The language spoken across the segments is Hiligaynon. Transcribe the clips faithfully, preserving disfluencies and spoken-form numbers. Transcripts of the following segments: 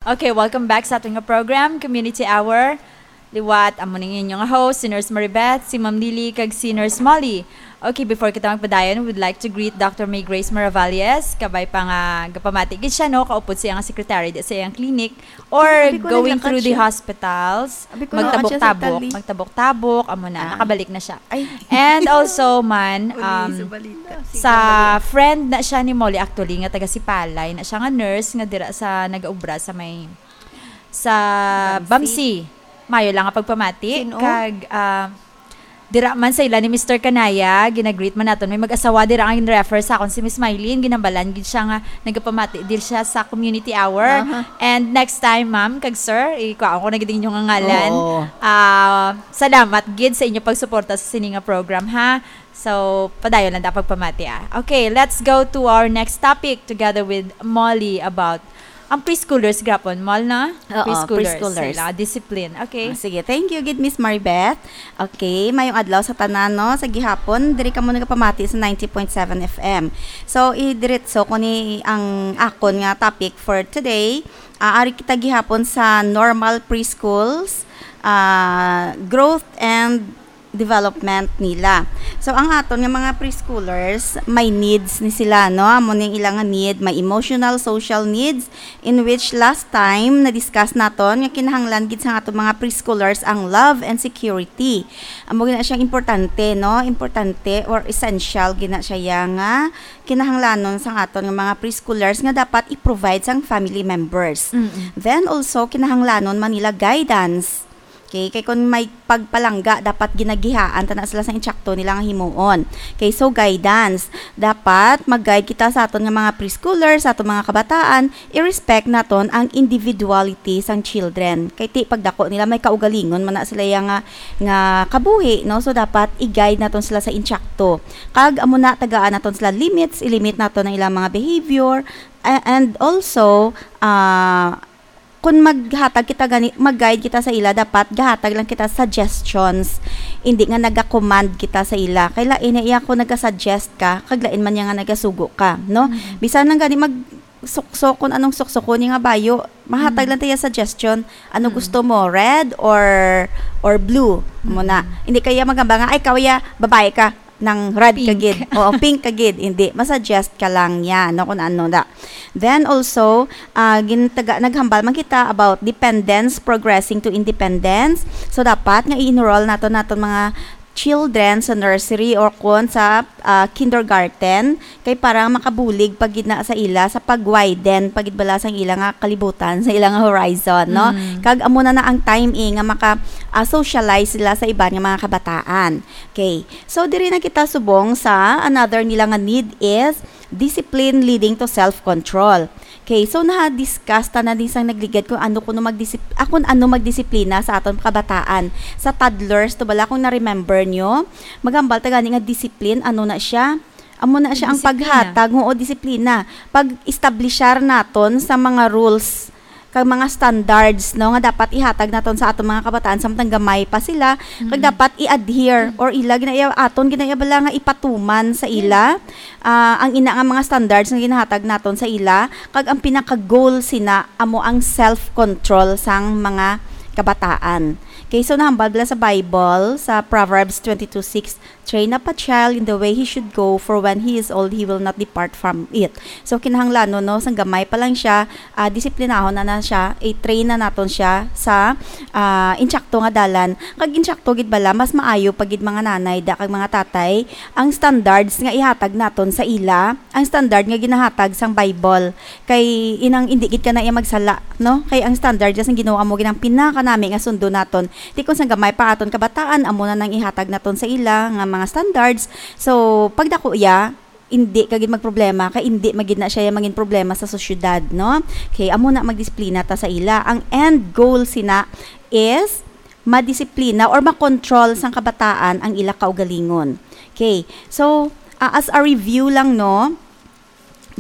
Okay, welcome back sa aton nga program, Community Hour. Liwat, amo ning inyo nga host, si Nurse Maribeth, si Ma'am Lily, kag si Nurse Molly. Okay, before kita magpadayon, we would like to greet Doctor May Grace Maravalles. Kabay pa nga gapamati gid siya, no, kaupod sa iyang secretary di sa iyang clinic or Abi ko, going naglakat through the siya. Hospitals. Abi ko, naglakat siya sa Magtabok-tabok, Italy. Magtabok-tabok, amo na, Ah. nakabalik na siya. Ay. And also, man, Uli um, sa balita. sa friend na siya ni Molly, actually, nga taga Sipalay na siya, nga nurse nga dira sa nagaubra sa may, sa Bamsi. Bamsi. Mayo lang nga pagpamati. Sino? Kag, ah, dira man sa ila ni Mister Kanaya, ginagreet man naton. May mag-asawa dira ang refer sa akon si Miss Mylene. Ginambalan gid siya nga nagapamati diri siya sa community hour. Aha. And next time, ma'am, kag sir, ikuha ko na gid inyo nga ngalan. Oo. Ah, salamat gid sa inyo pagsuporta sa sini nga program, ha. So, padayon lang ta pagpamati, ah. Okay, let's go to our next topic together with Molly about ang preschoolers, grapon, Mol, na? Oo, Preschoolers, preschoolers. Sila, discipline. Okay. Ah, sige, thank you gid, Miss Maribeth. Okay, mayong adlaw sa tanan, no? Sa gihapon, diri kamo nagapamati sa ninety point seven F M. So, idiretso ko ni ang akon nga topic for today. Ah, ari kita gihapon sa normal preschools, ah, growth and development nila. So, ang aton nga mga preschoolers, may needs ni sila, no? Amo ning ila nga need, may emotional, social needs, in which last time na-discuss naton nga kinahanglan gid sa aton mga preschoolers ang love and security. Amo gina siyang importante, no? Importante or essential gina siya ya nga kinahanglanon sa aton nga mga preschoolers nga dapat i-provide sang family members. Mm-mm. Then also, kinahanglanon man nila guidance. Okay, kay kung may pagpalangga, dapat ginagihaan ta na sila sa insakto nila nga himuon. Okay, so guidance. Dapat mag-guide kita sa aton nga mga preschoolers, sa aton mga kabataan, i-respect naton ang individuality sang children. Kay ti pagdako nila may kaugalingon man na sila ya nga, nga kabuhi, no? So dapat i-guide naton sila sa insakto. Kag amo na tagaan naton sila limits, i-limit naton ang ilang mga behavior, a-, and also, ah, kung maghatag kita gani, mag-guide kita sa ila, dapat gahatag lang kita suggestions. Hindi nga naga-command kita sa ila. Kay lain na iya kung naga-suggest ka, kag lain man niya nga nagasugo ka, no? Mm. Bisan lang gani mag sukso, kung anong suksukon niya nga bayo, mahatag Mm. lang tayo suggestion. Ano Mm. gusto mo, red or, or blue? Mo na. Mm. Hindi kaya magamba nga, "Ay, kawya, babae ka." Nang red ka Pink. gid. Oo, pink ka gid. Hindi, masuggest ka lang yan, no, kung ano na. Then also, ah, gintaga, naghambal man kita about dependence progressing to independence. So, dapat nga i-enroll nato naton mga children sa nursery or kung sa, ah, kindergarten, kay para makabulig pa gid na sa ila sa pag-widen pa gid bala sang ila nga kalibutan, sa ila nga horizon, no? Mm. Kag amo na na ang time, eh, nga maka, ah, socialize sila sa iban nga mga kabataan. Okay. So, diri na kita subong sa another nila nga need is discipline leading to self-control. Okay, so naha-discuss ta na din sang nagligad kung ano kuno magdisip-, ah, kung ano magdisiplina sa aton kabataan. Sa toddlers, to bala kung na-remember nyo, maghambal ta gani nga discipline, ano na siya? Amo na siya ang Disiplina. paghatag, oo, disiplina. Pag-establishar naton sa mga rules kag mga standards, no, nga dapat ihatag naton sa aton mga kabataan samtang gamay pa sila, kag Mm. dapat i-adhere Mm. or ila ginaiya, aton ginaiya bala nga ipatuman sa Yeah. ila, ah, ang ina nga mga standards nga ginahatag naton sa ila, kag ang pinaka-goal sina amo ang self-control sang mga kabataan. Okay, so nahambal bala sa Bible, sa Proverbs twenty-two six, "Train up a child in the way he should go, for when he is old, he will not depart from it." So, kinahanglanon, no, sang gamay pa lang siya, ah, disiplinahon na na siya, i-train na naton siya sa, ah, insakto nga dalan. Kag insakto gid bala, mas maayo pa gid mga nanay da kag mga tatay ang standards nga ihatag naton sa ila, ang standard nga ginahatag sang Bible. Kay inang indi gid ka na iya magsala, no? Kay ang standard sang Ginoo amo gid ang pinakanami nga sundon naton. Ti kung sang gamay pa aton kabataan, amo na nang ihatag naton sa ila nga mga standards. So, pagdako iya, indi ka gid magproblema, kay indi magid na siya mangin problema sa sosyedad, no? Kay amo na magdisiplina ta sa ila. Ang end goal sina is madisiplina or makontrol sang kabataan ang ila kaugalingon. Okay. So, ah, as a review lang, no?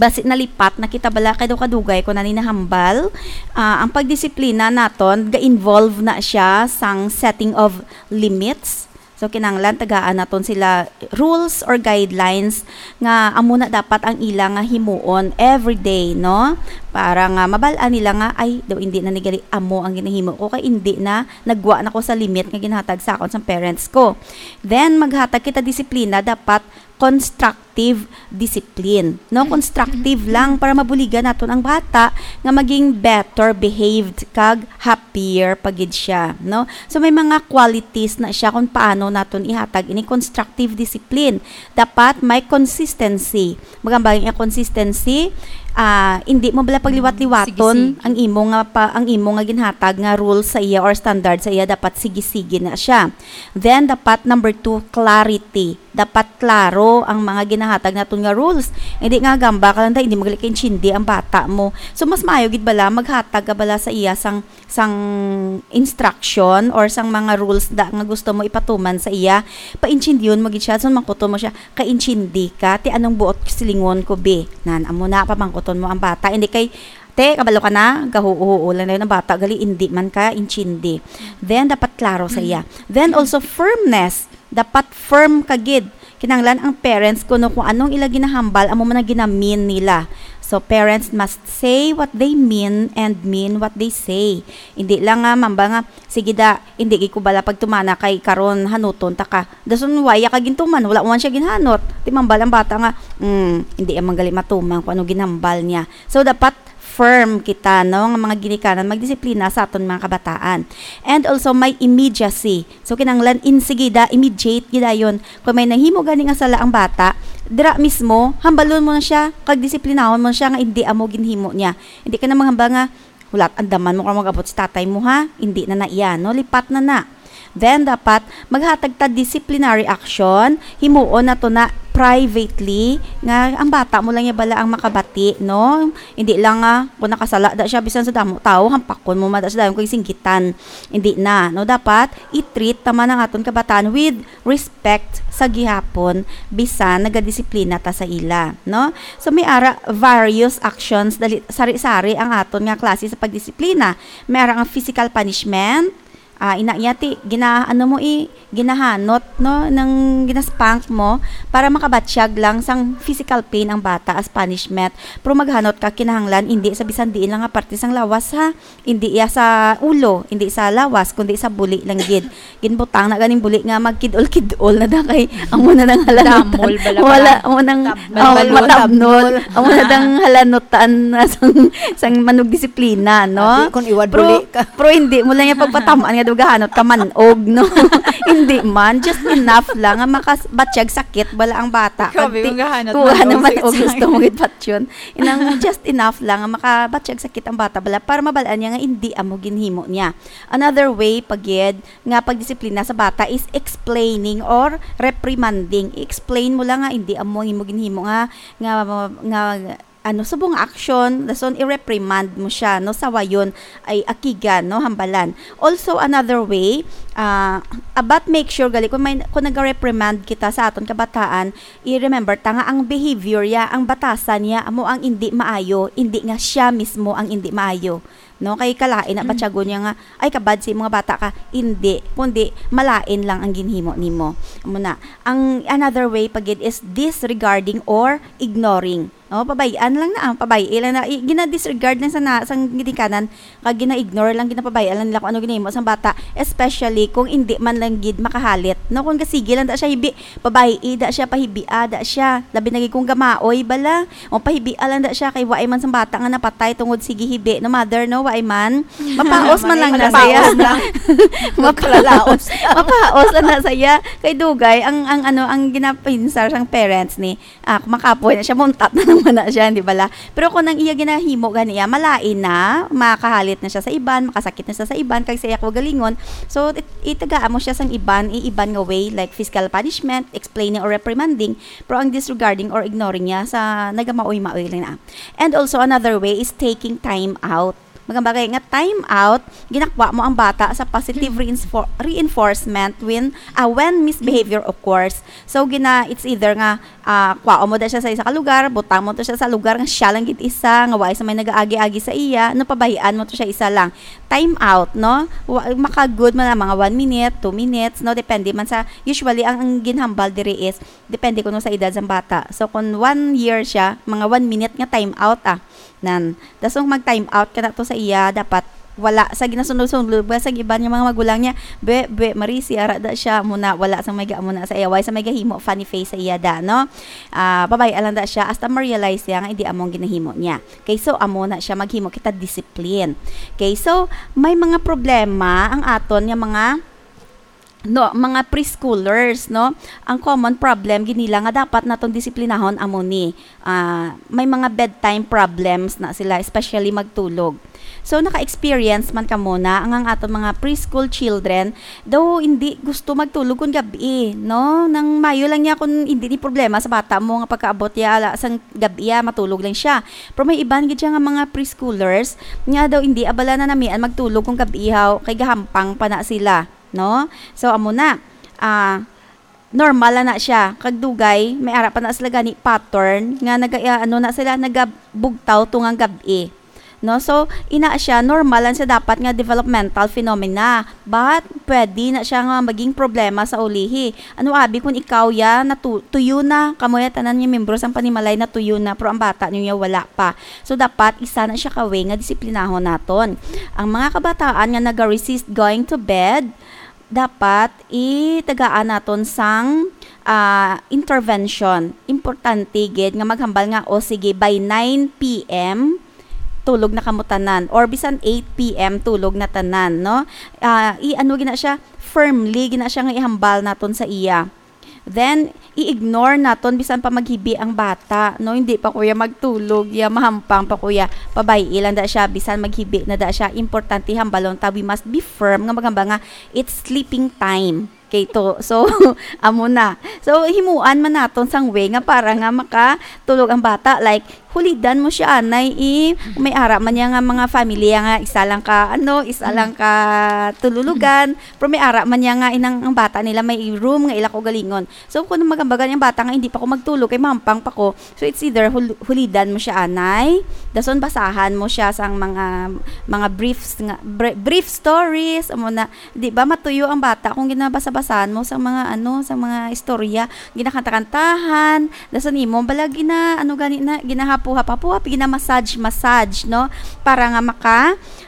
Basi nalipat na kita bala kay daw kadugay ko na ni nahambal. Ah, ang pagdisiplina naton ga-involve na siya sang setting of limits. So, kinahanglan tagaan naton sila rules or guidelines nga amo na dapat ang ila nga himuon every day, no? Para nga mabal-an nila nga, "Ay, daw hindi na ni gali amo ang ginahimo ko, kay hindi na, nagwa na ko sa limit nga ginhatag sa akon sang parents ko." Then, maghatag kita disiplina, dapat constructive discipline, no? Constructive lang para mabuligan naton ang bata nga maging better behaved kag happier pa gid siya, no? So, may mga qualities na siya kung paano naton ihatag ini constructive discipline. Dapat may consistency. Magambag nga consistency, ah, hindi mo bala pagliwat-liwaton. Sige-sige. Ang imo nga pa, ang imo nga ginhatag nga rules sa iya or standard sa iya, dapat sige-sige na siya. Then, dapat number two, clarity. Dapat klaro ang mga ginahatag naton nga rules. Hindi nga gamba ka lang, hindi mo gali kaintindi ang bata mo. So, mas maayo gid bala maghatag ka bala sa iya sang, sang instruction or sang mga rules da nga gusto mo ipatuman sa iya. Paintindihon mo gid siya, so mangkuton mo siya, "Kaintindi ka ti anong buot silingon ko, bi?" Nan, amo na, pamangkuton mo ang bata. Hindi kay, "Te, kabalo ka na?" Gahuo-huo lang dayon ang bata, gali, hindi man ka intindi. Then, dapat klaro sa iya. Then, also, firmness. Dapat firm ka gid. Kinahanglan ang parents kuno kung anong ila ginahambal, amo man ang ginamin nila. So, parents must say what they mean and mean what they say. Hindi lang nga, mamba nga, "Sige da, hindi gid ko bala pagtumana kay karon hanuton ta ka." Dason, waya ka gintuman, wala man siya ginhanot. Ti mambal ang bata nga, "Mm, hindi man gali matuman kung ano ginhambal niya." So, dapat firm kita, no, nga mga ginikanan, magdisiplina sa aton mga kabataan. And also, may immediacy. So, kinahanglan insigida, immediate gidayon. Kung may nahimo gani nga sala ang bata, dira mismo, hambalon mo na siya, kag disiplinahon mo na siya nga hindi amo ginhimo niya. Hindi ka na manghambal nga, "Hulat, andaman mo ka mag-abot si tatay mo, ha? Hindi na na iya, no? Lipat na na." Then, dapat maghatag ta disciplinary action, himuon nato na privately, nga ang bata mo lang ya bala ang makabati, no? Hindi lang nga, kung nakasala da siya, bisan sa damo tawo, hampakon mo man da siya dayon kung singgitan. Hindi na, no? Dapat i-treat ta man ang aton kabataan with respect sa gihapon, bisan nagadisiplina ta sa ila, no? So, may ara various actions, dali, sari-sari ang aton nga klase sa pagdisiplina. May ara nga physical punishment, ah, ina niya ti, gina-, ano mo i-, ginahanot, no, nang ginaspank mo para makabatyag lang sang physical pain ang bata as punishment. Pero maghanot ka kinahanglan, hindi sa bisan diin lang nga parte sang lawas, ha. Hindi iya sa ulo, hindi sa lawas, kundi sa buli lang gid. Ginbutang na ganing buli nga magkidol-kidol na da kay amo na nang halanot. Damol bala. Wala, pala. Amo nang, Tab-, oh, matabnol. Matabnol. Amo na dang halanutan na sang, sang manugdisiplina, no? Ati, kung iwad Pero, buli ka. Pero hindi mo lang yung pagpatamaan nga dugahanot ka manog, no? Hindi man, just enough lang nga makabatyag sakit bala ang bata. Grabe, kung gahanot manog, sige. Kuha naman og gusto mo gid patyon. Inang just enough lang nga makabatyag sakit ang bata bala para mabal-an niya nga hindi amo ginhimo niya. Another way pa gid nga pagdisiplina sa bata is explaining or reprimanding. I-explain mo lang nga hindi amo ang imo ginhimo nga, nga, nga, ano, subong nga action, dason i-reprimand mo siya, no, sawayon, ay akigan, no, hambalan. Also, another way, ah, about make sure gali kung may, kung nag-reprimand kita sa aton kabataan, i-remember ta nga ang behavior niya, ang batasan niya, amo ang hindi maayo, hindi nga siya mismo ang hindi maayo. No? Kay kalain na Mm. batyagon niya nga, "Ay, kabad sa mga bata ka." Hindi, kundi malain lang ang ginhimo nimo. Amo na. Ang another way pa gid is disregarding or ignoring. No? Pabay-an lang na, ah, pabay-i lang na. I-, gina-disregard lang sa na, sang ginikanan, kag gina-ignore lang, ginapabay-an lang nila kung ano ginahimo sang bata, especially kung hindi man lang gid makahalit. No, kung gasigi lang da siya hibi, pabay-i da siya, pahibia da siya. Labi na gid kung gamaoy bala, o pahibia lang da siya kay waay man sang bata nga napatay tungod sige hibi, no, mother, no, waay man. Mapaos man lang na Mapaos saya. lang. Mapa-, Mapaos. Mapaos lang na saya. Kay dugay ang, ang ano, ang ginapinsar sang parents ni, ah, makapoy na siya, muntat na naman na siya, di bala? Pero kung ang iya ginahimo gani iya, malain na, makahalit na siya sa iban, makasakit na siya sa iban, kag sa iya kaugalingon. So, it-, itagaan mo siya sang iban, i-, iban nga way, like physical punishment, explaining or reprimanding, pero ang disregarding or ignoring niya sa nagamaoy-maoy lang na. And also, another way is taking time out. Magambagay nga time out, ginakuha mo ang bata sa positive reinfor- reinforcement when, ah, when misbehavior occurs. So, gina, it's either nga, ah, kuha mo da siya sa isa ka lugar, butang mo to siya sa lugar nga siya lang gid isa, nga wala sa may nagaagi-agi sa iya, no, pabahian mo to siya isa lang. Time out, no? Wa, maka-good man ang mga one minute, two minutes, no? Depende man sa, usually, ang, ang ginhambal diri is, depende kuno sa edad sang bata. So, kung one year siya, mga one minute nga time out, ah. Nan, dasong mag-time out ka na to sa iya, dapat wala sa ginasunod-sunod ba sa iban nga mga magulang niya. Be, be, Marisi, ara da siya, muna, wala sa may ga-, muna sa iya, way sa may gahimo, funny face sa iya da, no? Ah, babay lang da siya, hasta ma-realize siya nga hindi among ginahimo niya. Okay, so, amo na siya, maghimo kita discipline. Okay, so, may mga problema ang aton nga mga no, mga preschoolers, no? Ang common problem gid nila nga dapat naton disiplinahon amo ni, ah, may mga bedtime problems na sila, especially magtulog. So, naka-experience man kamo na ang, ang aton mga preschool children, daw hindi gusto magtulog kun gabi, no? Nang mayo lang niya kun hindi ni problema sa bata mo nga pagkaabot ya ala sang gabi, ah, matulog lang siya. Pero may iban gid siya nga mga preschoolers nga daw hindi abala na namian magtulog kun gabi haw kay gahampang pa na sila. No? So, amo na. Ah, normal na na siya. Kag dugay, may ara pa na sila gani pattern nga naga, ah, ano na sila, nagabugtaw tungang gab-i. No? So, ina siya, normal lang siya dapat nga developmental phenomena. But, pwede na siya nga maging problema sa ulihi. Ano abi kung ikaw ya, natu-, tuyo na, kamo ya tanan nga membro sang panimalay na tuyo na, pero ang bata niyo ya wala pa. So, dapat isa na siya ka way nga disiplinahon naton. Ang mga kabataan nga naga-resist going to bed, dapat itagaan naton sang, ah, intervention. Importante gid nga maghambal nga, "O sige, by nine P M, tulog na kamo tanan." Or bisan eight P M, tulog na tanan, no? Ah, i-ano gina siya, firmly gina siya nga ihambal naton sa iya. Then, i-ignore naton bisan pa maghibi ang bata, no? Hindi pa kuya magtulog, ya mahampang pa kuya. Pabay-i lang da siya, bisan maghibi na da siya. Importante hambalon ta, we must be firm nga maghambal nga it's sleeping time. Okay to. So, amo na. So, himuan man naton sang way nga para nga makatulog ang bata. Like, hulidan mo siya, anay, i, may ara man niya nga mga family nga isa lang ka, ano, isa lang ka tululugan, pero may ara man niya nga inang, ang bata nila may room nga ila ko galingon. So, kung magambagan ang bata nga hindi pa ko magtulog, kay mampang pa ko, so it's either hul-, hulidan mo siya, anay, dason basahan mo siya sang mga, mga briefs nga, br-, brief stories, amo na, di ba, matuyo ang bata kung ginabasa-basahan mo sang mga, ano, sang mga istorya, ginakanta-kantahan, dason imo bala gina, ano gani na, ginahapuhap-hapuhap, gina-massage-massage, no? Para nga maka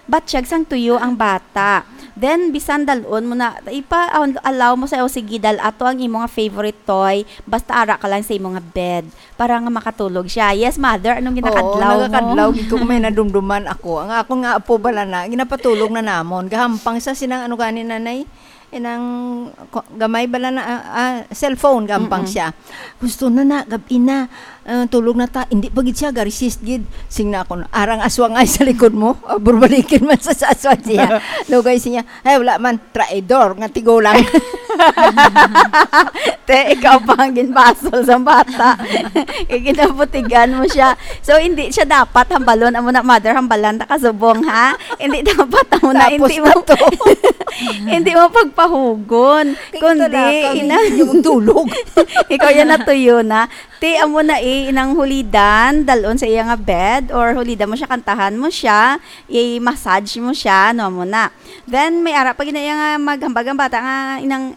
batyag sang tuyo ang bata. Then, bisan dalon mo na, ipa-, allow mo sa, "O, sige, dal-a to ang imo nga favorite toy, basta ara ka lang sa imo nga bed." Para nga makatulog siya. Yes, mother, anong Oo, ginakadlaw mo? Nagakadlaw gid ko kung may nadumduman ako. Ang ako nga apo bala na, ginapatulog na namon. Gahampang sa sinang ano gani, nanay? Inang ko-, gamay bala na, ah, ah, cellphone, gampang Mm-mm. siya. "Gusto na na, gabi na. Ah, tulog na ta." Hindi pa gid siya, ga-resist gid. Sing na ako, "Arang aswang ay sa likod mo. Ah, burbalikin man sa, sa aswang siya." Lugay siya, "Ay, wala man. Traidor nga tigulang." Te, ikaw pa ang ginbasol sa bata. Kay ginabutigan mo siya. So, hindi siya dapat hambalon. Amo na, mother, hambalan ta kasubong, ha? Hindi dapat, amo na, Tapos hindi na mo, to. Hindi mo pagpahugon. Kay Kundi, talaga, ina-, hindi mo tulog. Ikaw yan natuyo na. Te, amo na eh, inang hulidan, dalon sa iya nga bed, or hulidan mo siya, kantahan mo siya, i-massage mo siya, no, amo na. Then, may ara pa gina iya nga maghambag ang bata nga, inang,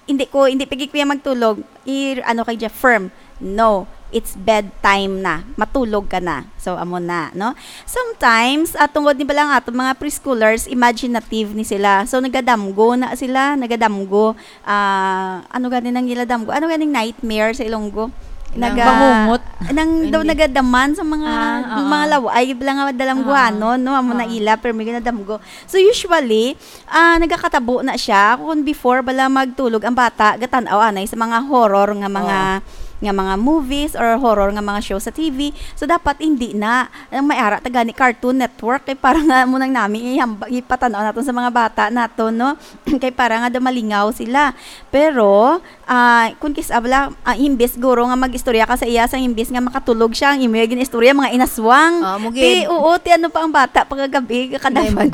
"Hindi ko, hindi pigi kuya magtulog." I, ano kay Jeff, firm. "No, it's bedtime na. Matulog ka na." So, amo na, no? Sometimes, ah, tungod ni bala nga aton mga preschoolers, imaginative ni sila. So, nagadamgo na sila, nagadamgo. Ah, ano gani nang ila damgo? Ano ganing nightmare sa Ilonggo? Nang Naga-, bangungot. Nang daw Hindi. nagadaman sa mga, Ah, oo. mga laway, bala nga dalamguanon, Ah. no? Amo na Ah. ila, pero may ginadamgo. So, usually, ah, nagakatabo na siya. Kung before, bala magtulog ang bata, gatan-aw anay sa mga horror nga mga, Oo. nga mga movies or horror nga mga show sa T V. So, dapat hindi na. Ang may ara ta gani Cartoon Network, kay para nga mo nang nami ihamba-, ipatanaw naton sa mga bata naton, no? Kay para nga daw malingaw sila. Pero, Ah, kun kis-a bala, ah, imbis guro nga mag-istorya ka sa iya, sa imbis nga makatulog siya, ang imo gin-istorya, mga inaswang. Ah, mo Ti, gid. Oo, ti ano pa ang bata, pagkagabi, kakadamgoy.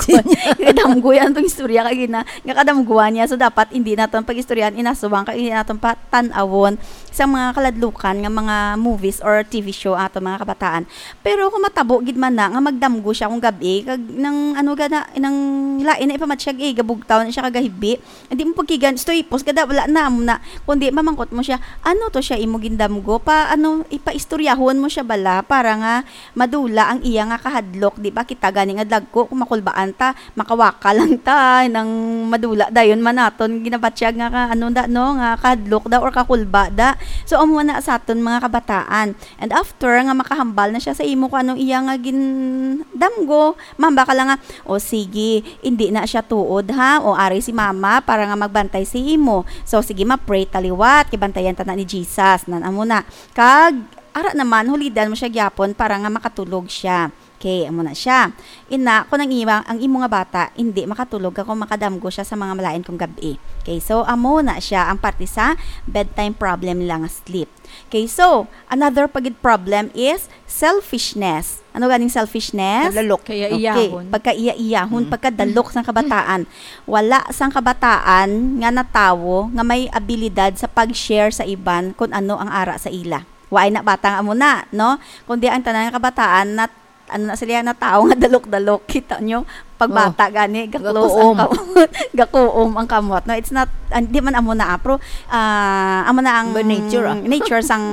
Kakadamgoy ang tong istorya kay gina-, kakadamgoan niya. So, dapat hindi naton pag-istoryahan, inaswang, kay hindi naton pa tan-awon sa mga kaladlukan nga mga movies or T V show aton mga kabataan. Pero kung matabo gid man na nga magdamgo siya kung gabi, kag nang ano gana, nang lain na ipamatyag, eh, gabugtaw na siya kagahibi, hindi mo pagkigan, stoy pos, kada wala na, amo na. Kundi mamangkot mo siya, "Ano to siya imo gindamgo?" Pa, ano, ipaistoryahon mo siya bala para nga madula ang iya nga kahadlok, di ba? Kita gani nga dagko, kung makulbaan ta, makawaka lang ta, nang madula dayon man naton ginabatyag nga ka, ano da, no, nga kahadlok da or kakulba da. So, amo na sa aton mga kabataan. And after nga makahambal na siya sa imo kung anong iya nga gindamgo, mamba ka lang nga, "O sige, hindi na siya tuod, ha? O ari si mama para nga magbantay sa imo. So sige, ma-pray ta liwat, kay bantayan ta na ni Jesus." Nan amo na. Kag ara naman, hulidan mo siya gyapon para nga makatulog siya. Okay, amo na siya. Ina, kung ang imo, ang imo nga bata, hindi makatulog ka kung makadamgo siya sa mga malain kong gabi. Okay, so amo na siya ang parte sa bedtime problem nila nga sleep. Okay, so another pa gid problem is selfishness. Ano ganing selfishness? Kadalok. Kaya Okay, iyahon. Pagkaiya-iyahon, Mm. pagkadalok sang kabataan. Wala sang kabataan nga natawo nga may abilidad sa pag-share sa iban kung ano ang ara sa ila. Waay na bata nga amo na, no? Kundi ang tanan nga kabataan na, ano na sila, na tawo nga dalok-dalok. Kita nyo? Pagbata Oh. gani, gaklos ang Gakuom. kamot. Gakuom ang kamot. No, it's not, ah, di man amo na, ah, pero, ah, amo na ang Ba nature, ah. nature sang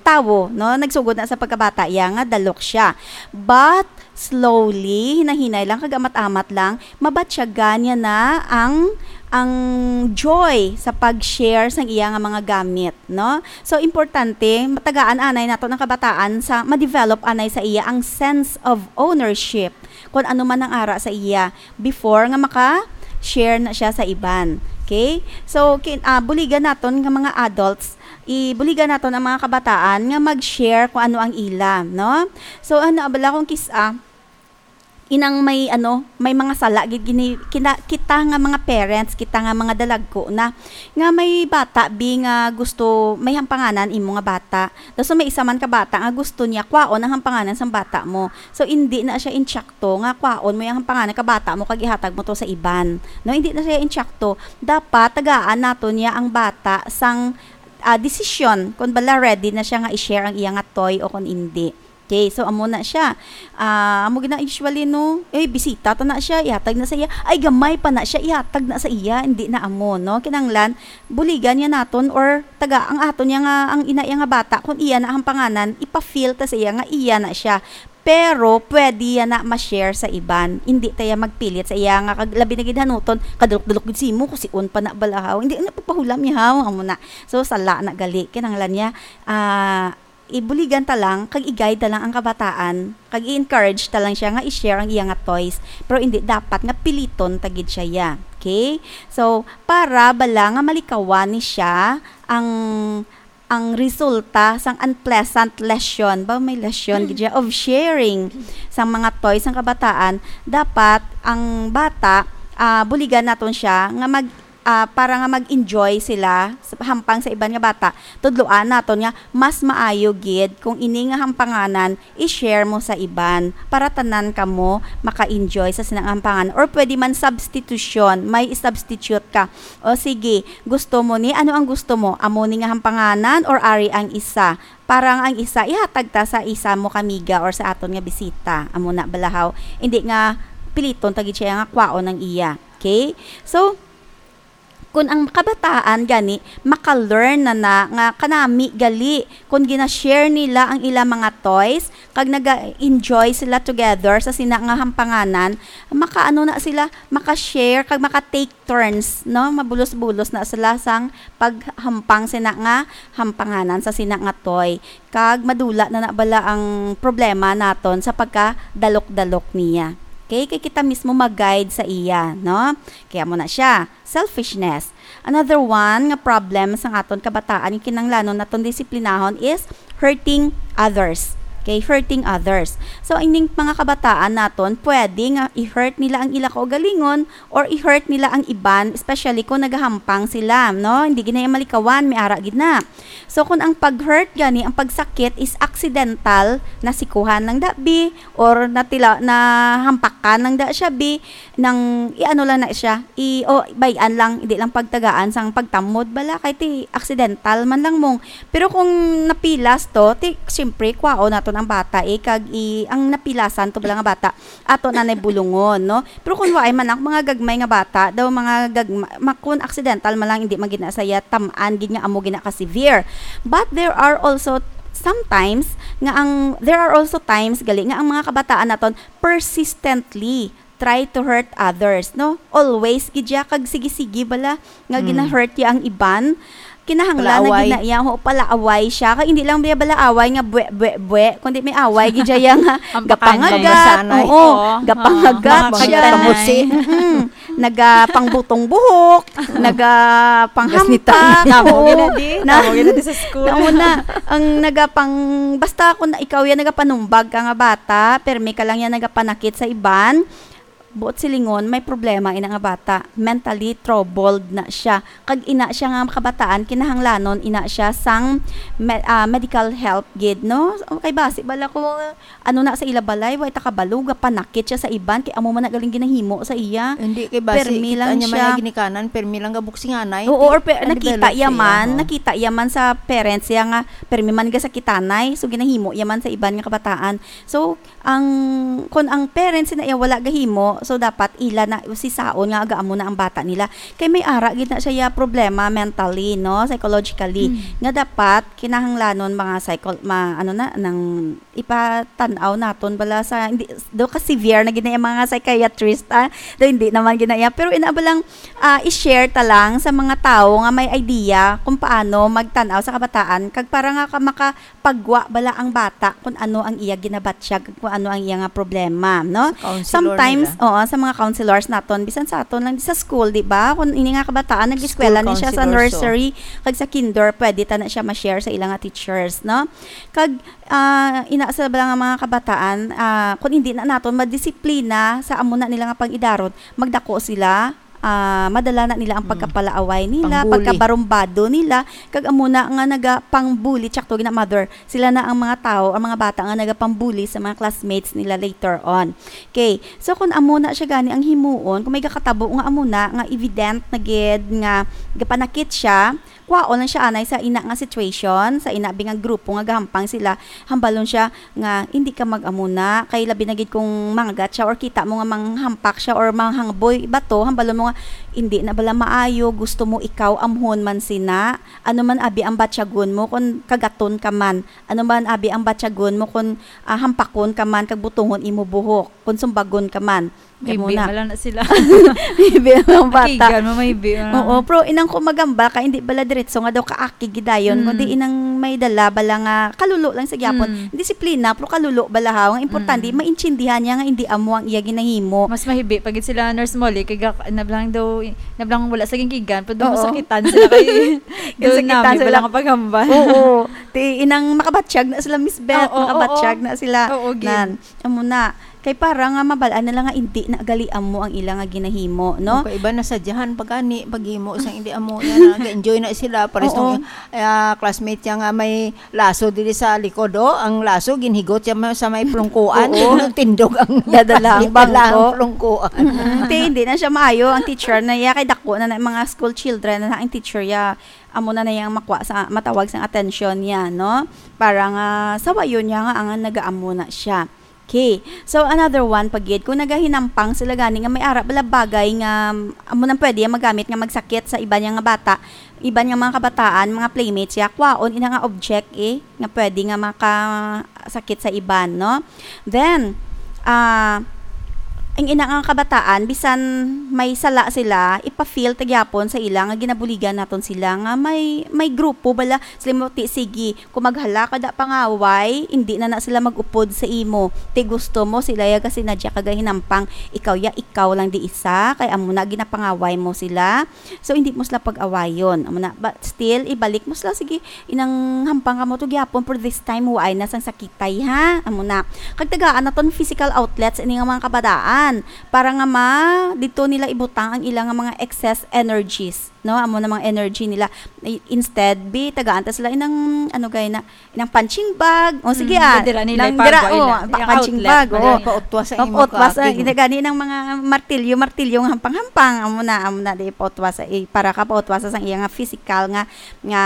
tawo, no? Nagsugod na sa pagkabata iya nga dalok siya. But slowly, hinay-hinay lang, kag amat-amat lang, mabatyagan niya na ang, ang joy sa pag-share sang iya nga mga gamit, no? So, importante, matagaan anay nato ang kabataan sa ma-develop anay sa iya ang sense of ownership, kung ano man ang ara sa iya before nga maka-share na siya sa iban. Okay? So, kin-, ah, buligan naton nga mga adults, ibuligan naton ang mga kabataan nga mag-share kung ano ang ila, no? So, ano, abala kung kis-a, inang may, ano, may mga sala gid gini-, kina-, kita nga mga parents, kita nga mga dalagko na, nga may bata, bi, nga gusto, may hampanganan imo nga bata. Tapos may isa man ka bata nga gusto niya kwaon ang hampanganan sang bata mo. So, hindi na siya intsakto nga kwaon mo yung hampanganan ka bata mo kag ihatag mo to sa iban. No, hindi na siya intsakto. Dapat tagaan nato niya ang bata sang, ah, desisyon kung bala ready na siya nga i-share ang iya nga toy o kung hindi. Okay, so amo na siya. Ah, amo gina usually, no? Eh, bisita ta na siya, ihatag na sa iya. Ay, gamay pa na siya, ihatag na sa iya. Hindi na amo, no? Kinahanglan, buligan niya naton or taga ang aton niya nga, ang ina iya nga bata, kung iya na ang panganan, ipa-feel ta sa iya nga iya na siya. Pero pwede ya na ma-share sa iban. Hindi ta ya magpilit sa iya nga kag labi na gid hanuton, kadulok-dulok gid simo, kusion pa na balahaw. Hindi na pagpahulam ya haw, amo na. So, sala na gali. Kinahanglan niya, ah, ibuligan ta lang, kag i-guide ta lang ang kabataan, kag i-encourage ta lang siya nga i-share ang iya nga toys, pero hindi dapat nga piliton ta gid siya ya. Okay? So, para bala nga malikawan ni siya ang, ang resulta sang unpleasant lesson, ba may lesson gid siya, of sharing sang mga toys sang kabataan, dapat ang bata, ah, buligan naton siya nga mag, ah, para nga mag-enjoy sila sa hampang sa iban nga bata, tudloan naton nga mas maayo gid kung ini nga hampanganan i-share mo sa iban para tanan kamo maka-enjoy sa sina nga hampanganan. Or pwede man substitution, may i-substitute ka. O sige, gusto mo ni, ano ang gusto mo? Amo ni nga hampanganan or ari ang isa? Para nga ang isa, ihatag ta sa isa mo kamiga or sa aton nga bisita. Amo na balahaw. Hindi nga piliton ta gid siya nga kwaon ang iya. Okay? So, kun ang kabataan gani maka-learn na na nga kanami gali, kun gina-share nila ang ila mga toys, kag naga-enjoy sila together sa sina nga hampanganan, makaano na sila, maka-share kag maka-take turns, no? Mabulos-bulos na sila sang paghampang sina nga hampanganan sa sina nga toy. Kag madula na na bala ang problema naton sa pagkadalok-dalok niya. Okay? Kay kita mismo mag-guide sa iya, no? Kaya mo na siya. Selfishness. Another one nga problem sang aton kabataan nga kinahanglanon naton disiplinahon is hurting others. Okay, hurting others. So, ining mga kabataan naton, pwede nga i-hurt nila ang ila kaugalingon or i-hurt nila ang iban, especially kung nagahampang sila, no? Hindi gid na iya malikawan, may ara gid na. So, kung ang pag-hurt gani, ang pagsakit is accidental, nasikuhan lang da bi, or natila, nahampakan lang da siya bi, nang i-ano lang na siya, i, o, bay-an lang, hindi lang pagtagaan sang pagtamod bala, kay ti accidental man lang mong. Pero kung napilas to, ti, siyempre, kwaon naton ang bata, eh, kag i, ang napilasan to bala nga bata, ato na nay bulungon, no? Pero kung waay man, ang mga gagmay nga bata, daw mga gagma, ma, kung accidental man lang, hindi man gid na saya tam-an gid nga amo gid na ka severe. But there are also sometimes nga ang, there are also times gali nga ang mga kabataan naton persistently try to hurt others, no? Always gid siya, kag sige-sige bala nga Mm. gina-hurt niya ang iban. Kinahanglan na Palaaway. gid na iya, ho, palaaway siya. Kag hindi lang niya bala away nga bwe, bwe, bwe, kundi may away gid siya nga Ang gapangagat, pakanday. Oo, Oo. gapangagat Oo, siya. Mga kamusi. Mm-mm. Nagapangbutong buhok, Gasnita. nagapanghambak. Tamo Oo. gina di. Na, Tamo gina di sa school. Nauna, ang nagapang, basta kung ikaw yan nagapanumbag ka nga bata, permi ka lang yan nagapanakit sa iban, buot silingon, may problema ina nga bata. Mentally troubled na siya. Kag ina siya nga makabataan, kinahanglanon ina siya sang me-, ah, medical help gid, no? Kay basi bala ko, ano na sa ila balay, way ta kabalo, gapanakit siya sa iban, kay amo man na galing ginahimo sa iya. Hindi, kay basi, Permi kita lang niya man siya. Ay ginikanan, permi lang gabuksinganay, Oo, ti, or pe-, ano, nakita develop iya siya, man, oo. nakita iya man sa parents iya nga, permi man gasakitanay, so ginahimo iya man sa iban nga kabataan. So, ang, kung ang parents na iya wala gahimo, so dapat ila na, si saon nga agaamo na ang bata nila. Kay may ara gid na siya iya problema mentally, no, psychologically, Hmm. nga dapat kinahanglanon mga psycho-, ma-, ano na, nang ipatan-aw naton bala sa, hindi, do ka severe na gid na yung mga psychiatrist, ah. Do hindi naman gid na iya. Pero ina ba lang, ah, i-share ta lang sa mga tawo nga may idea kung paano magtan-aw sa kabataan, kag para nga ka-, makapagwa bala ang bata kung ano ang iya ginabatyag, kung ano ang iya nga problema, no? Sa counselor Sometimes, nila. oo, sa mga counselors naton, bisan sa aton lang, sa school, di ba? Kung ini nga kabataan, nag-eskwela School ni siya sa counselors, so. nursery, kag sa kinder, pwede ta na siya ma-share sa ilang nga teachers, no? Kag ah, ina sa bala nga mga kabataan, ah, kung hindi na naton madisiplina sa amo na nila nga pang-idaron, magdako sila, ah, madala na nila ang Mm. pagkapalaaway nila, Pangbuli. pagkabarumbado nila, kag amo na nga nagapangbuli, tsakto gina mother, sila na ang mga tao, ang mga bata nga nagapambuli sa mga classmates nila later on. Okay, so kung amo na siya gani ang himuon, kung may gakatabo nga amo na, nga evident na gid nga gapanakit siya, kwaon lang siya anay sa ina nga situation, sa ina bi nga grupo nga gahampang sila, hambalon siya nga, "Hindi ka mag-amuna, kay labi na gid kung mangagat siya or kita mo nga manghampak siya or manghangboy bato, hambalon mo nga, 'Hindi na bala maayo, gusto mo ikaw amhon man sina? Ano man abi ang batyagon mo kon kagaton ka man? Ano man abi ang batyagon mo kon, ah, hampakon ka man kag butongon imo buhok, kon sumbagon ka man?'" May Kamo bi na. Wala na sila. May bi ang bata. Akigan mo, may bi, ah. Oo, pero inang ko magamba ka, hindi bala diretso nga daw kaakig gidayon, Mm. kundi inang may dala bala nga kalulo lang sa gyapon. Mm. Disiplina, pero kalulo bala ha. Ang importante, Mm. maintindihan niya nga hindi amo ang iya ginahimo. Mas mahibi pag sila, Nurse Molly, kay ga-, nablang daw, nablang wala sa gingkigan, pero daw Oo. masakitan sila kay daw Masakitan nami sila. Bala nga paghambal. Oo. Ti, inang makabatyag na sila, Miss Beth. Oo, oo. Makabatyag na sila. Oo, gid. Nan, amo na. Kay para nga mabal-an nila nga indi na gali amo ang ila nga ginahimo, no? Ang iba nasadyahan pa gani, paghimo sang indi amo, yan, nag-enjoy na sila. Pares Oo. nung, ah, classmate niya nga may laso diri sa likod, oh. Ang laso, ginhigot siya ma-, sa may plungkuan. Oo. Tindog, tindog ang Dadala ang dala ang bangko. plungkuan. Mm-mm. Ti, hindi na siya maayo. Ang teacher na iya, kay dako na na mga school children na ang teacher iya. Amo na na yang makwa sa, matawag sang atensyon niya, no? Para nga sawayon niya nga ang nagaamo na siya. Okay. So, another one pa gid, kung nagahinampang sila gani nga may ara bala bagay nga, um, amo nang pwede magamit nga magsakit sa iban niya nga bata, iban nga mga kabataan, mga playmates ya, kwaon ina nga object, eh, nga pwede nga makasakit sa iban, no? Then, ah, ang ina nga kabataan, bisan may sala sila, ipa-feel ta gyapon sa ila nga ginabuligan naton sila nga may, may grupo bala. Sila mo, ti, sige, kung maghala ka da pangaway, hindi na na sila mag-upod sa imo. Ti gusto mo sila ya kasi nadya ka gahinampang, ikaw ya, ikaw lang di isa, kay amo na ginapangaway mo sila. So, hindi mo sila pag-awayon. Amo na, but still, ibalik mo sila, sige, inang hampang ka mo to gyapon, for this time, waay na sang sakitay, ha? Amo na. Kag tagaan naton physical outlets ini nga mga kabataan para nga ma dito nila ibutang ang ilang mga excess energies, no? Amo na mga energy nila. I- Instead, bi, tagaan ta sila inang, ano gay na, inang punching bag. O, sige, Mm, ah, dira nila nang ipagawa dira, oh, ila. pa- Yung punching outlet, bag, dira oh. Nila. Pautwa sa imo Pautwa sa, kaaping. Hindi gani ng mga martilyo, martilyo nga hampang-hampang. Amo na, amo na, di pautwa sa, eh, para ka pautwa sa sang iya nga physical nga, nga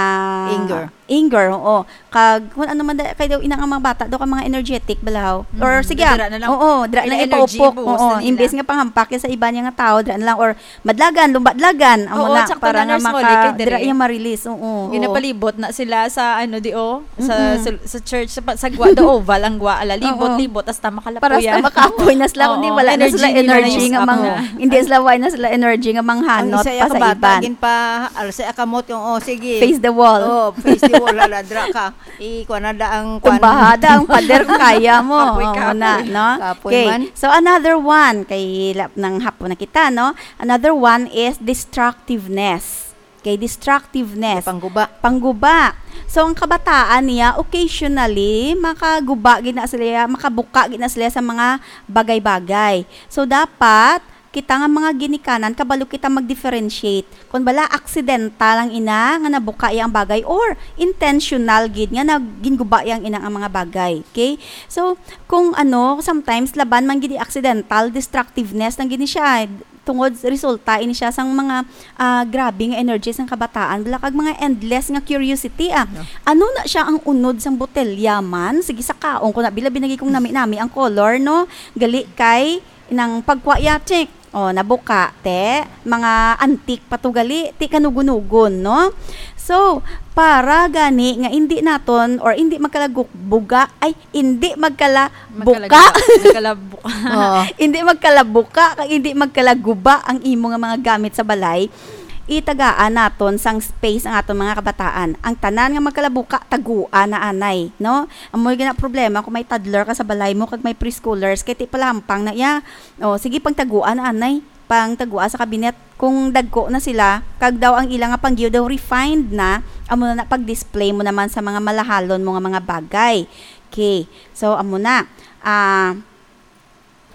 Anger. Anger, oo. Kag, kung ano man, da-, kay daw, ina nga mga bata, daw ka mga energetic, balahaw. Or, Mm, sige, dira na lang. Oo, dira Ila na energy, ipaupok. Buhos Oo, na nila. Imbes nga panghampak ya sa iba niya nga tao, dira na lang. Or, madlagan, lumbadlagan. Amo Oo, na, sakto para na, nga Nurse Molly, maka-, kay dira diri. Iya marilis. Oo, oo. Ginapalibot na sila sa, ano, di, oh, sa, Mm-mm. sa, sa church, sa, pa-, sa gwa, the oval, ang gwa, ala, libot, Oo. libot, hasta makalapuyan. Para hasta makapoy na sila, Oo, kundi wala na energy sila nila energy na nga usap mang-, na. hindi sila, wala na sila energy nga manghanot Ang isa pa ya sa kabata, iban. Gin pa, alsa ya kamot yung, oh, sige. Face the wall. Oh, face the wall, ala, dra ka. I, kuha na da ang kuan. Tumbahada ang pader, kaya mo. Kapoy, Oo, kapoy. na, no? Kapoy Okay. man. So, another one, kay la-, nang hapon na kita, no? Another one is destructiveness. Okay, destructiveness. Pangguba. Pangguba. So, ang kabataan niya, occasionally, makaguba gid na sila, makabuka gid na sila sa mga bagay-bagay. So, dapat, kita nga mga ginikanan, kabalo kita mag-differentiate. Kung bala, accidental ang ina nga nabuka iya ang bagay or intentional gid nga nag-, ginguba iya ang ina ang mga bagay. Okay? So, kung ano, sometimes laban man gid accidental destructiveness lang gid ni siya. Tungod resulta ini siya sang mga, ah, grabe nga energy sang kabataan. Bala kag mga endless nga curiosity, ah. Yeah. Ano na siya ang unod sang botelya man? Sige, sa kaon ko na, bila binagi kong nami-nami ang color, no? Gali kay nang pagkwa ya, check. Oh, nabuka, te. Mga antik pa to gali, ti kanugon-ugon, no? So, para gani nga indi naton or indi magkalabuka, ay, indi magkalabuka. Magkalaguba. Magkalabuka. Oo. Indi magkalabuka, kag indi magkalaguba ang imo nga mga gamit sa balay. Itagaan naton sang space ang aton mga kabataan. Ang tanan nga magkalabuka, taguan na anay, no? Amo gina problema kung may toddler ka sa balay mo kag may preschoolers, kay ti palampang na iya. O, sige, pangtaguan na anay. Pangtagua sa kabinet. Kung dagko na sila, kag daw ang ila nga panggiyo daw refined na, amo na na pag-display mo naman sa mga malahalon mo nga mga bagay. Okay. So, amo na. Ah,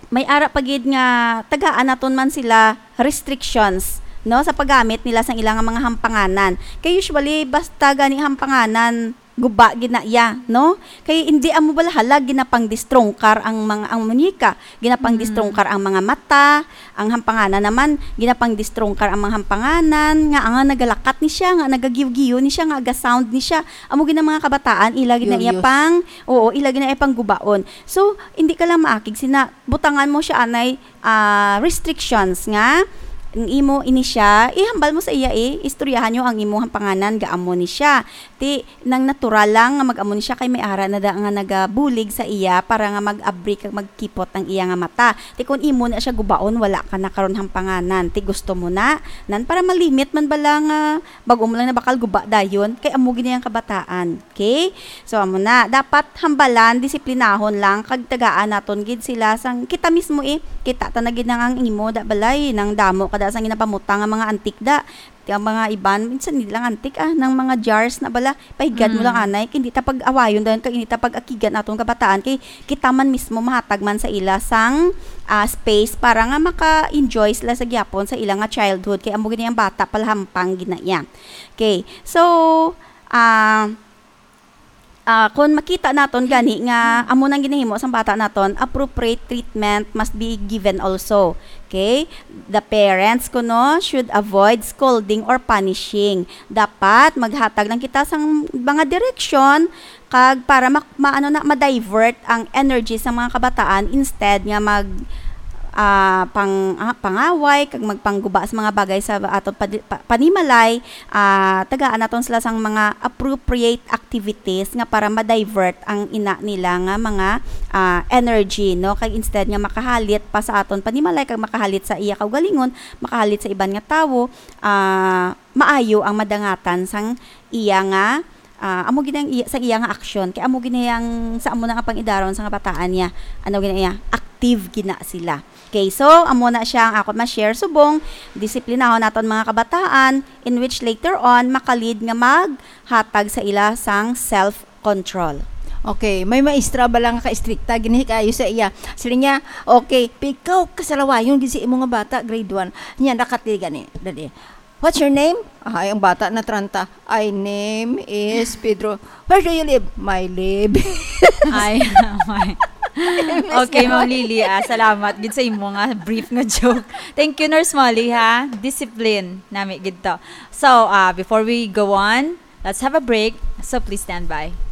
may ara pa gid nga tagaan naton man sila restrictions, no, sa paggamit nila sang ila nga mga hampanganan. Kay usually, basta gani hampanganan, guba gid na iya, no? Kay hindi amo bala halag ginapangdistrongkar ang mga, ang muñeca, ginapangdistrongkar Mm. ang mga mata, ang hampanganan naman, ginapangdistrongkar ang mga hampanganan, nga ang nagalakat ni siya, nga nagagiyo-giyo ni siya, nga aga-sound ni siya. Amo gid ang mga kabataan, ila gid na iya Curious. pang, oo, ila gid na iya pang gubaon. So, hindi ka lang maakig sina, butangan mo siya anay, ah, restrictions nga ang imo ini siya, ihambal mo sa iya, eh, istoryahan niyo ang imo hampanganan, gaamo ni siya. Ti, nang natural lang nga mag-amo ni siya kay may ara na da nga nagabulig sa iya para nga mag-abri kag magkipot ang iya nga mata. Ti, kung imo na siya gubaon, wala ka na karon hampanganan. Ti, gusto mo na? Nan, para malimit man bala nga bag-o mo lang na bakal guba dayon, kay amo gid na yang kabataan. Okay? So, amo na. Dapat hambalan, disiplinahon lang, kag tagaan naton gid sila sang kita mismo, eh. Kita ta na gid nang ang imo da balay, nang damo ka da sang ginapamutang nga mga antik da. Ti ang mga iban, minsan hindi lang antik, ah, nang mga jars na bala, pahigad mo lang Mm. anay, kay hindi ta pag-awayon dayon, kag hindi ta pag-akigan atong kabataan, kay kita man mismo mahatag man sa ila sang, ah, space para nga maka-enjoy sila sa gyapon sa ila nga childhood, kay amo gid ang bata palahampang gid na iya. Okay. So, ah, ah, kung makita naton gani nga amo nang ginahimo sang bata naton, appropriate treatment must be given also. Okay? The parents kuno should avoid scolding or punishing. Dapat maghatag lang kita sang mga direksyon kag para mak-, maano na, ma-divert ang energy sa mga kabataan instead nga mag, ah, pang-, ah, pangaway, kag magpangguba sa mga bagay sa aton padi-, pa-, panimalay, ah, tagaan naton sila sang mga appropriate activities nga para ma-divert ang ina nila nga mga, ah, energy, no? Kag instead nga makahalit pa sa aton panimalay kag makahalit sa iya kaugalingon, makahalit sa iban nga tawo, ah, maayo ang madangatan sang iya nga, ah, amo gid ang iya, sa iya nga aksyon. Kay amo gid ang, sa amo na nga pang-idaron sa nga bataan niya. Ano gid iya? Active gina sila. Okay, so amo na siya ang akon ma-share subong disiplinahon naton mga kabataan, in which later on maka-lead nga maghatag sa ila sang self-control. Okay, may maestra ba lang ka-estrikta, gini kayo sa iya. Sila niya, okay, pikaw kasalawayon gid sa imo nga bata, grade one. Niya, nakatiga ni, dali. What's your name? Ay, ang bata na tranta. "My name is Pedro." "Where do you live?" "My live." Ay, my. Okay, Ma'am Lily, ah, salamat gid sa imo nga brief nga joke. Thank you, Nurse Molly, ha. Discipline nami gid to. So, ah, before we go on, let's have a break. So, please stand by.